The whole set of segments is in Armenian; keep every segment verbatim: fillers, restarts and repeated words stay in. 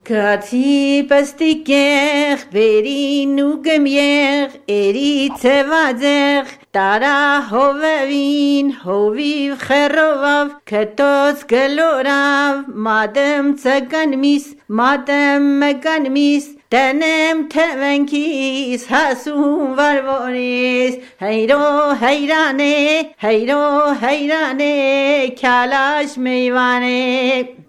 Գացի պստիկեղ, վերին ու գմյեղ, էրի ծևաձեղ, տարա հովևին, հովիվ խերովավ, կտոց գլորավ, մադեմ ծգանմիս, մադեմ մգանմիս, Տենեմ թևենքիս, հասում վարվորիս, հայրո հայրան է, հայրո հայրան է, քյալաշ մեյվան է։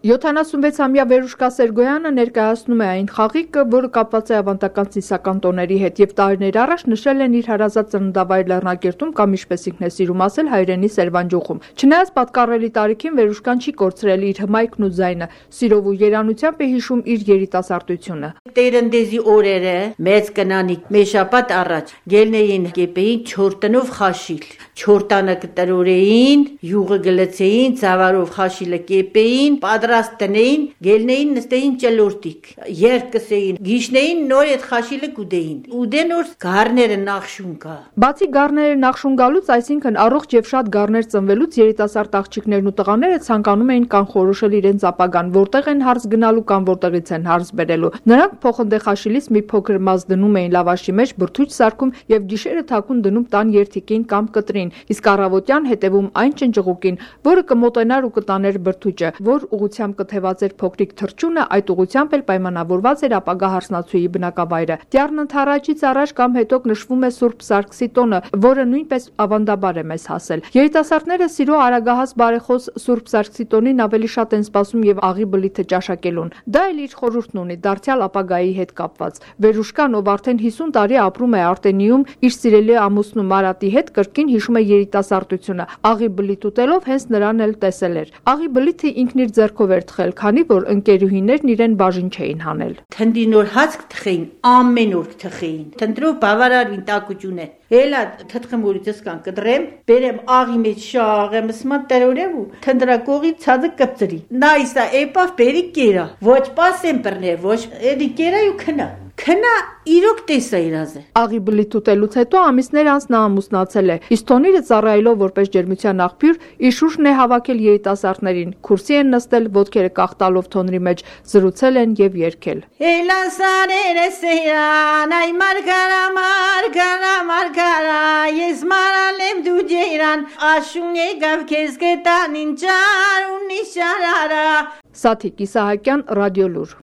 յոթանասունվեցամյա Վերուշկա Սերգոյանը ներկայացնում է այն խաղիկը, որը կապված է ավանդական ծիսական տոների հետ եւ տարիներ առաջ նշել են իր հարազատ ծննդավայր Լեռնակերտում կամ ինչպես ինքն է սիրում ասել հայրենի Սերվանջուխում։ Չնայած պատկառելի տարիքին Վերուշկան չի կորցրել իր հմայքն ու ձայնը, սիրով ու երանությամբ է հիշում իր երիտասարդությունը։ Տերնդեզի օրերը մեծ կնանիկ մեշապատ առաջ գելնեին կեպեին չոր տնով խաշիլ, չոր տանը կտրորեին, յուղը գլցեին, ծավարով խաշիլը կեպեին, պատրաստ տնեին, գելնեին նստեին ճլորտիկ, երկսեին, գիշնեին նոր այդ խաշիլը կուդեին, ուդեն որ գառները նախշուն կա։ Բացի գառները նախշուն գալուց, այսինքն առողջ եւ շատ գառներ ծնվելուց երիտասարդ աղջիկներն ու տղաները ցանկանում էին կանխորոշել իրենց ապագան, որտեղ են հարս գնալու կամ որտեղից են հարս բերելու։ Նրանք փոխնդե խաշիլից մի փոքր մաս դնում էին լավաշի մեջ, բրդուճ սարքում եւ գիշերը թաքուն դնում տան երթիկին կամ կտրին, իսկ առավոտյան հետևում այն ճնճղուկին, որը կմոտենար ու կտաներ բրդուճը, որ ուղությամբ կթևած էր փոքրիկ թռչունը, այդ ուղությամբ էլ պայմանավորված էր ապագա հարսնացուի բնակավայրը։ Տյառն ընթառաջից առաջ կամ հետո նշվում է Սուրբ Սարգսի տոնը, որը նույնպես ավանդաբար է մեզ հասել։ Երիտասարդները սիրո արագահաս բարեխոս Սուրբ Սարգսի տոնին ավելի շատ են սպասում եւ աղի բլիթը ճաշակելուն։ Դա էլ իր խորհուրդն ունի դարձյալ ապագայի հետ կապված։ Վերուշկան, ով արդեն հիսուն տարի ապրում է Արտենիում, իր սիրելի ամուսնու Մարատի հետ կրկին հիշում է երիտասարդությունը։ Աղի բլիթ ուտելով հենց նրան էլ տեսել էր։ Աղի բլիթը ինքն իր ձեռքով էր թխել, քանի որ ընկերուհիներն իրեն բաժին չէին հանել։ Թնդի նոր հաց կթխեին, ամեն օր կթխեին։ Թնդրով բավարարին տակուճուն է։ Էլա թթխմուրից կան կդրեմ, բերեմ աղի մեջ շաղեմ, սման տրորեմ ու թնդրակողի ցածը կպծրի։ Նայսա էպավ բերի կերա։ Ոչ պասեմ բռներ, ոչ էդի կերա ու քնա։ Քնա իրոք տեսա իրազը։ Աղի բլիթ ուտելուց հետո ամիսներ անց նա ամուսնացել է։ Իսկ տոնիրը ծառայելով որպես ջերմության աղբյուր, իր շուրջն է հավաքել երիտասարդներին, քուրսի են նստել, ոտքերը կախտալով թոնրի մեջ, զրուցել են եւ երգել։ Էլասարերը սեյան, այ մարգարա, մարգարա, մարգարա, ես մարալեմ դու ջերան, աշուն եկավ քեզ գտան ինջար ու նիշարարա։ Սաթիկ Իսահակյան, Ռադիոլուր։